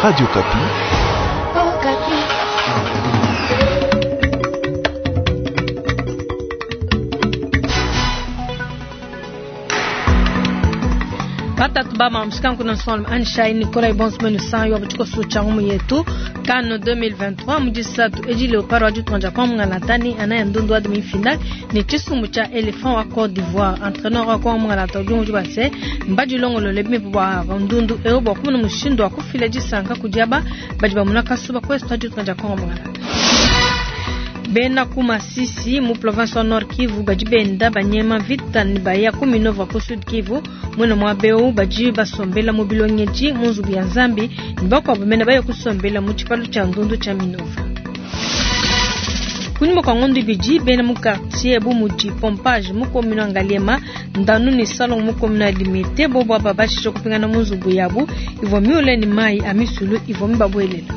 Radio Okapi. Oh, Batatu ba mamshikanku na nsonga Anshai Nicolas Ibonsmenu Sanyo wa cha ngumu yetu CAN 2023 mujisatu eji Leopard wa jutonja kwa mungalatani anaye ndundu wa demi-finale ni chisumbu cha Elephant wa Côte d'Ivoire. Entraîneur wa kwa mungalata ujungu jubase mbaji longolo lebimi bwa ndundu eo bwa kumuna mushindo wa kufila jisanka kudiaba badi bamuna kasuba kwestu wa jutonja kwa mungalata. Bena ku Masisi mu province wa Nord Kivu badi benda banyema vita ni baya ku Minova ku Sud Kivu mwena mwa beu badi basombela mu bilongeji mu nzubu ya Nzambi ni bakuabu mena baya kusombela mu tshipalu tshia ndundu tshia Minova. Kunyuma kwa ngondo ibidi bena mu quartier bu mudi pompage mu commune ya Ngaliema ndanu ni salon mu commune ya Limete bobo aba bashisha kupingana mu nzubu yabu ivua miule ni mai a misulu ivua mibabuelela.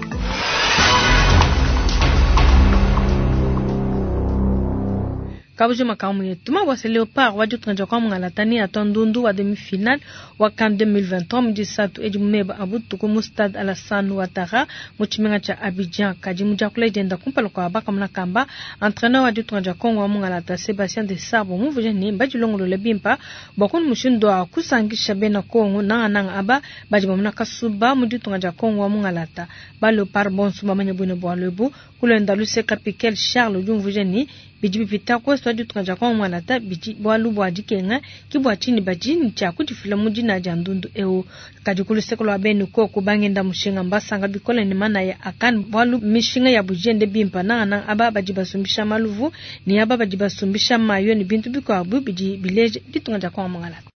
Kabujo makamu yetu mawase Leopard wa jutranja kwa mungalatani atwa ndundu wa demi-finale wa CAN 2023 mujisatu edi mumeba abutuku mu stade Alassane Ouattara mu tshimenga tshia Abidjan. Kadi mudiakula dienda kumpala kua bakamuna kamba entraîneur wa ditunga Congo wa mungalata Sébastien Desabre muvuja ne mbadilongolole bimpa bua kunu mushindu wa kusangisha bena Congo nangananga aba badi bamuna kasuba mu ditunga dia Congo wa mungalata. Ba Leopard bonso bamanye bwine bualu ebu kulenda luseka Piquel Charles udi umvuja ne bidi bipita kwesu wa ditunga dia Congo mungalata bidi bualu bua dikenga ki bua tshini badi ne tshia kudifila mu dina dia ndundu eu. Kadi ku luseke lua benu koku bangenda mushinga mbasanga bikole ne manaya akani bualu mishinga ya bujiende bimpa nangananga aba badi basumbisha maluvu ne aba badi basumbisha mayo ne bintu bikuabu bidi bileja ditunga dia Congo mungalata.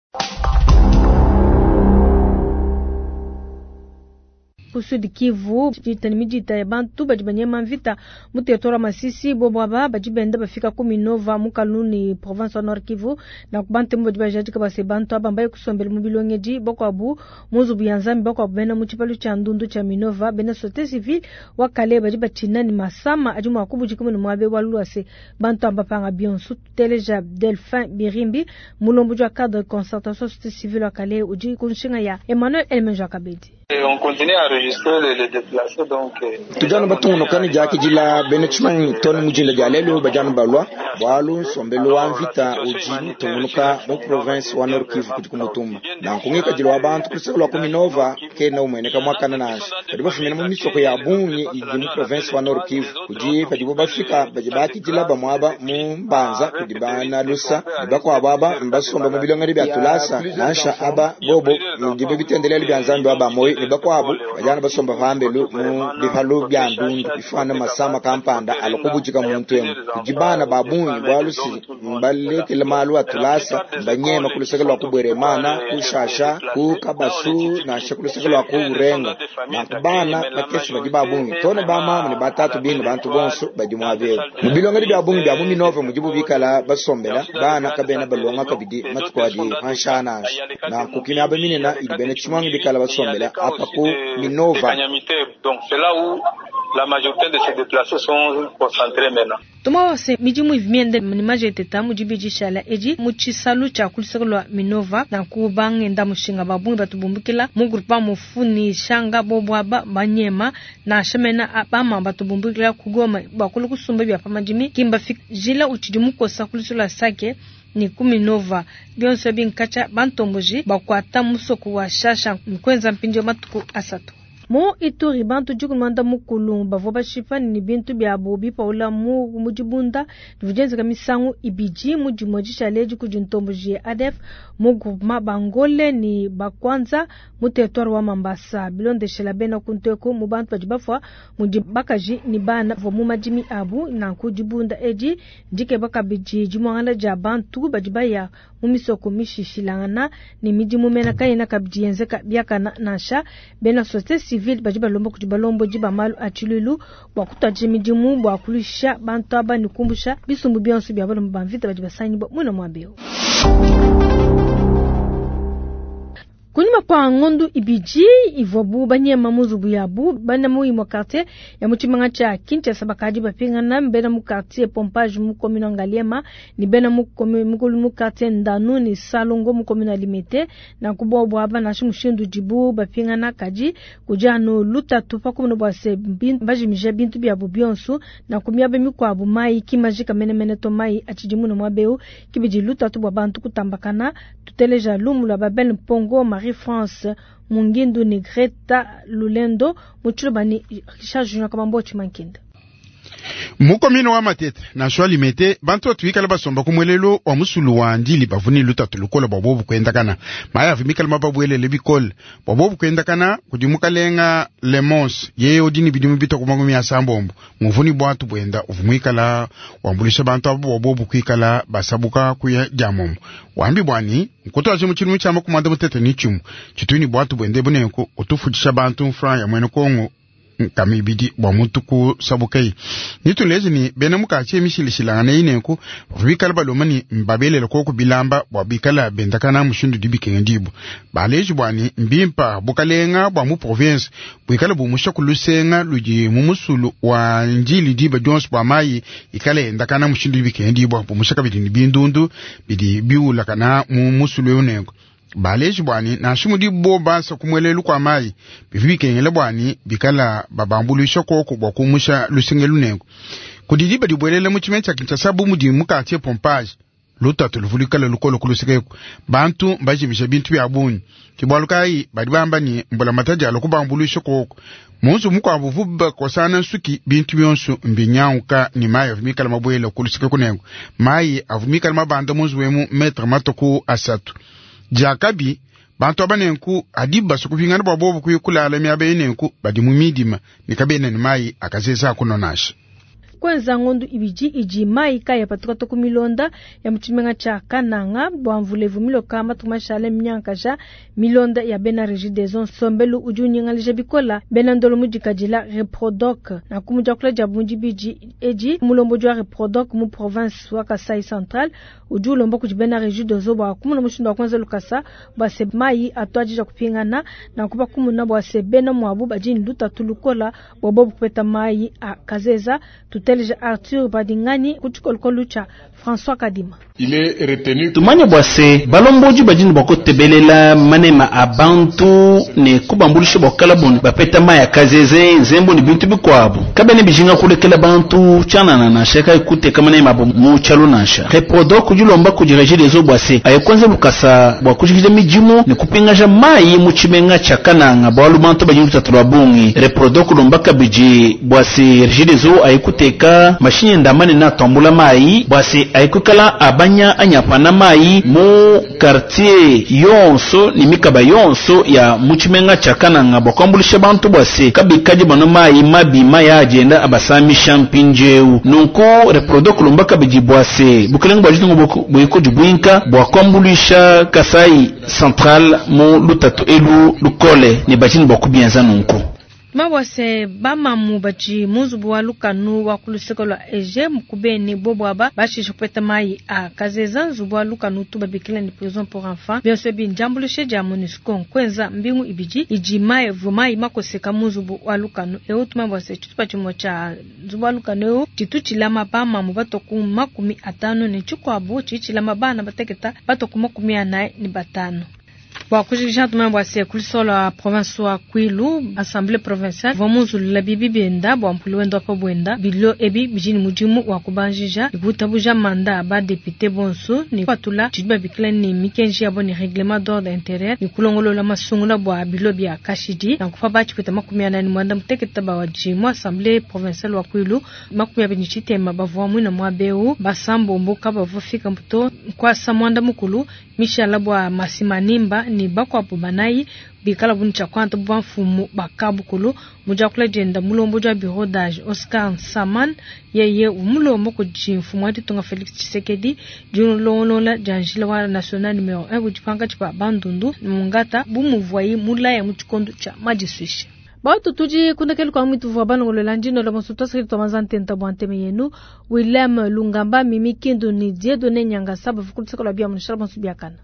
Ku Sud Kivu dita ni midita ya bantu badi banyema mvita mu territoire wa Masisi bobo aba badi benda bafika ku Minova mu Kaluni province wa Nord Kivu na ku bantu badi bajadika base bantu aba mbaye kusombela mu bilongeji bakuabu mu nzubu ya Nzambi bakuabu bena mu tshipalu tshia ndundu tshia Minova bena société civile wa Kale badi batshina ni masama adi mua kubudika mu muabe wa luase bantu aba panga bionso tuteleja Delphin Birimbi mulombo wa cadre de concertation société civile wa Kale udi kunshinga ya Emmanuel Elmenjo Kabedi. Et on continue à enregistrer les déplacés donc. Tujana batungunuka ne diakidila bena tshimanyi tone mujinda dia lelu badianu balua bualu nsombelu wa mvita udi mutungunuka mu province wa Nord Kivu kudi kumutumba nanku ngikadilu wa bantu kuluseke lua ku Minova kena umueneka muakana nansha badi bafumina mu misoko ya bungi idi mu province wa Nord Kivu kudi padibo bafika badi bakidila bamuaba mu mbanza kudi bana lusa ne bakuabu aba mbasomba mu bilongedi bia tulasa nansha aba bobo ndibo bitendelele bia Nzambi wa bamoyi ne bakuabu badiana basomba pambelu mu bipalu bia ndundu bifana masama kampanda alokubujika muntu emu kudi bana ba bungi bualu si mbalekele malu atulasa mbanyema kuluseke lua kubweremana kushasha kukabasu nansha kuluseke lua kuurenga nanku bana bakese badi ba bungi tone bamama ne batatu bine bantu bonso badi muabebu mu bilongedi bia bungi bia mu Minova mudibu bikala basombela bana kabena balonga kabidi matuku adi pansha nansha nanku kimiaba minena idi bena tshimangi bikala basombela apa ku Minova. Donc c'est là où la majorité de ces déplacés sont concentrés maintenant. Tumawase midimu ivimiende ni majeteta mudibidi shala edi mu tshisalu tshia kuluseke lua Minova nanku bangenda mushinga ba bungi batubumbukila mu groupement mufuni shanga bobo aba banyema nansha mena bama batubumbukila ku Goma bakulu kusumba bia pa madimi kimba fika jila utshidi mukosa kuluseke lua Sake ni ku Minova bionso binkatsha bantomboji bakuata musoko wa Shasha nkwenza mpindio matuku asatu. Mu Ituri bantu dikumanda mukulu bavua bashipa ni bintu biabu bipaula mu mudibunda divudienzeka misangu ibidi mu dimue dishale kudi ntomboji ya ADF mu groupement Bangole ni Bakwanza mu territoire wa Mambasa bilondeshela bena kunteko mu bantu badi bafua mudi bakaji ni bana bavua mu madimi abu nanku dibunda edi ndikeba kabidi dimuangala dia bantu badi baya mu misoko mishishilangana ni midimu mena kayena kabidi yenzeka biakana nansha bena société civile badi balomba kudi balombo ba malu a tshilulu bua kutwadija midimu bua kulusha bantu aba ne kumbusha bisumbu bionso bia balomba ba mvita badi basangibwa mwina muaba eu. Kunyima kua ngondu ibidi ivuabu banyema mu nzubu yabu, bena mu imue quartier ya mu tshimenga tshia Kinshasa bakadi bapingana. Bena mu quartier Pompage mu commune wa Ngaliema ne bena mu mu quartier Ndanu ne Salongo mu commune wa Limete. Nanku bobu aba nansha mushindu udibu bapingana, kadi kudi anu lutatu pa kumona bua se bajimija bintu biabu bionso. Nanku miaba mikuabu mayi ki majika menemene to, mayi atshidi muna muaba eu, kibidi lutatu bua bantu kutambakana. Tuteleja lumu lua Babel Mpongo, Marie-France Mungindu ne Greta Lulendo mu tshiloba ne Richard Junior Kabambo Tshimankinda. Mu commune wa Matete nansha Limete, bantu batu basomba ku mwelelo wa musulu wa Ndili bavuni lutatu lukola bua bobu kuendakana. Mayi avu mikala mababwelele bikole bua bobu kuendakana kudi mukalenga Lemons yeye udi ne bidimu bitwa ku makumi asambombo muvuni bwatu bwenda uvu muikala wambulisha bantu abo bua bobu kuikala basabuka kuya dia momo wambi bwani nkutu mu tshilumu tshia makumi anda mutete ni tshimu tshituni bwatu bwende bunenku utufundisha bantu mfran ya mwene Kongo kamibidi bua muntu kusabukayi nituleje ni bena mukachi emishilishilangana inenku bikala baloma ni mbabelela koko bilamba bua bikala bendakana mushindu dibikenga dibu baleji bwani mbimpa bukalenga bua mu province bwikala bumusha kulusenga ludi mu musulu wa Njili diba dionso bua mayi ikala endakana mushindu dibikenga dibu bumusha kabidi ni bindundu bidi biulakana mu musulu unenku baleji bwani nansha mudi bo basa kumwelelu kwa mayi bivi bikengela bwani bikala babambulisha koko bua kumusha lusenge lunengo kudidi badibwelela mu tshimenga tshia Kinshasa bu mudi mu quartier Pompage lutatu luvulikala lukolo kulusekeko bantu mbajimisha bintu bya bungi kibwalu kayi badi bamba ni mbula matadi alo kubambulisha koko munzu mukwabo vuba kosana nsuki bintu byonso mbinyauka ni mayi avumikala mabwela kulusekeko nengo mayi avumikala mabanda munzu wemu metre matoku asatu jakabi bantu abanenku adi basukupingana bwa bobu kuyikulala miaba yenenku badi mu midima nikabena ni mayi akazeza kunonasha kwenza ngondu ibidi idi mayi kaya patuka ku milonda ya mutshimenga tshia Kananga bua mvulevu miloka matuku mashale minyankaja milonda ya bena Regideso nsombelu udi unyingalija bikola bena ndolo mudikadila Reprodoc na kumujakula dia bundi bidi edi mulombodi wa Reprodoc mu province wa Kasai Central udi ulomba kudi bena Regideso bua kumuna mushindu wa kwenza lukasa bua se mayi atuadija kupingana na kuba kumuna bua se bena mwabu badi lutatu lukola bua bobu kupeta mayi a kazeza. Tuteleja Arthur Badingani kutshikolokolo tshia François Kadima. Tumanya bua se balomboji badini bua kutebelela manema a bantu ne kubambulisha bua kukala bapeta mayi a kazeze nzembo ne bintu bikuabu kabene bijinga kulekela bantu tshianana nansha kayi kuteka manema abo mu tshialu nansha. Reprodoc kudilomba kudi Regideso bua se aye kwenza lukasa bua kujikija midimu ne kupingaja mayi mu tshimenga tshia Kananga bualu bantu badini lutatu lua bungi. Reprodoc kulomba kabidi bua se Regideso aye kuteka mashinyi ndamane na atambula mayi bua se aye kukala abanya anyapana mayi mu quartier yonso ni mikaba yonso ya mutshimenga tshia Kananga bua kuambulisha bantu bua se kabikadi bano mayi mabi mayi agenda abasamisha mpindieu. Nunku Reprodoc kulomba kabidi bua se bukelenge bua ditunga buikodi buinka bua kuambulisha Kasai Central mu lutatu elu lukole ne bajini bua kubienza nunku. Mabwase bamamu badi munzubu wa lukanu wa kuluseko lwa Ege mukubeni bobo aba bashisha kupeta mayi a kazeza nzubu wa lukanu tu babikila ni prison pour enfants bionso ebi ndiambulishe dia MONUSCO nkwenza mbingu ibidi idi mayi vumayi makoseka munzubu wa lukanu eu tumabwase tshitupa tshimue tshia nzubu wa lukanu eu tshitu tshilama bamamu batoku 50 ne tshikuabu tshilama bana bateketa batoku 45. Bua kujikija tumabwase kulisola wa province wa Kwilu assemblée provinciale vamuzulula bibi benda bua mpulu wendo apa bwenda bilo ebi bijini mudimu wa kubanjija ikutabuja manda ba député bonso ni kwatula tshidi babikila ni mikenji yabo ni règlement d'ordre intérieur ni kulongolola masungula bua bilo bia kashidi na kufa batshipeta 48 muteketa bawaji mu assemblée provinciale wa Kwilu 23 bavua mwina mwa beu basambomboka bavua fika mputo nkwasa mwanda mukulu Michel bua Masimanimba ni bakwabu banayi bikala bunu tshia kwanta bamfumu bakabukulu mujakula jenda mulombo jwa bureau d'âge Oscar Saman yeye umulombo kudi mfumu wa ditunga Felix Tshisekedi dilongolola dia njila wa national numero 1 budi tshipa bandundu mungata bumuvwayi mulaya mu tshikondo tshia madiswishe. Batu tudi kundekelu kwa mwitu vwa balongolola ndino la mosuto asili twa ntenta bwa nteme yenu William Lungamba Mimi Kindu ni Dieudonné Nyangasa bavukulusaka lwa bia munushala bonso biakana.